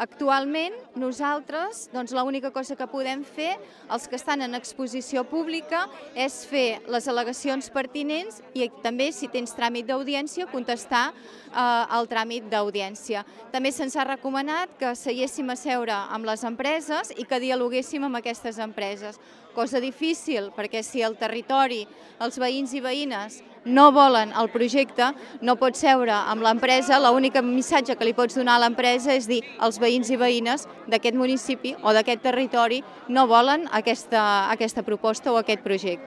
Actualment, nosaltres, l'única cosa que podem fer, els que estan en exposició pública, és fer les al·legacions pertinents i també, si tens tràmit d'audiència, contestar el tràmit d'audiència. També se'ns ha recomanat que seiéssim a seure amb les empreses i que dialoguéssim amb aquestes empreses. Cosa difícil, perquè si el territori, els veïns i veïnes no volen el projecte, no pots seure amb l'empresa, l'únic missatge que li pots donar a l'empresa és dir els veïns i veïnes d'aquest municipi o d'aquest territori no volen aquesta proposta o aquest projecte.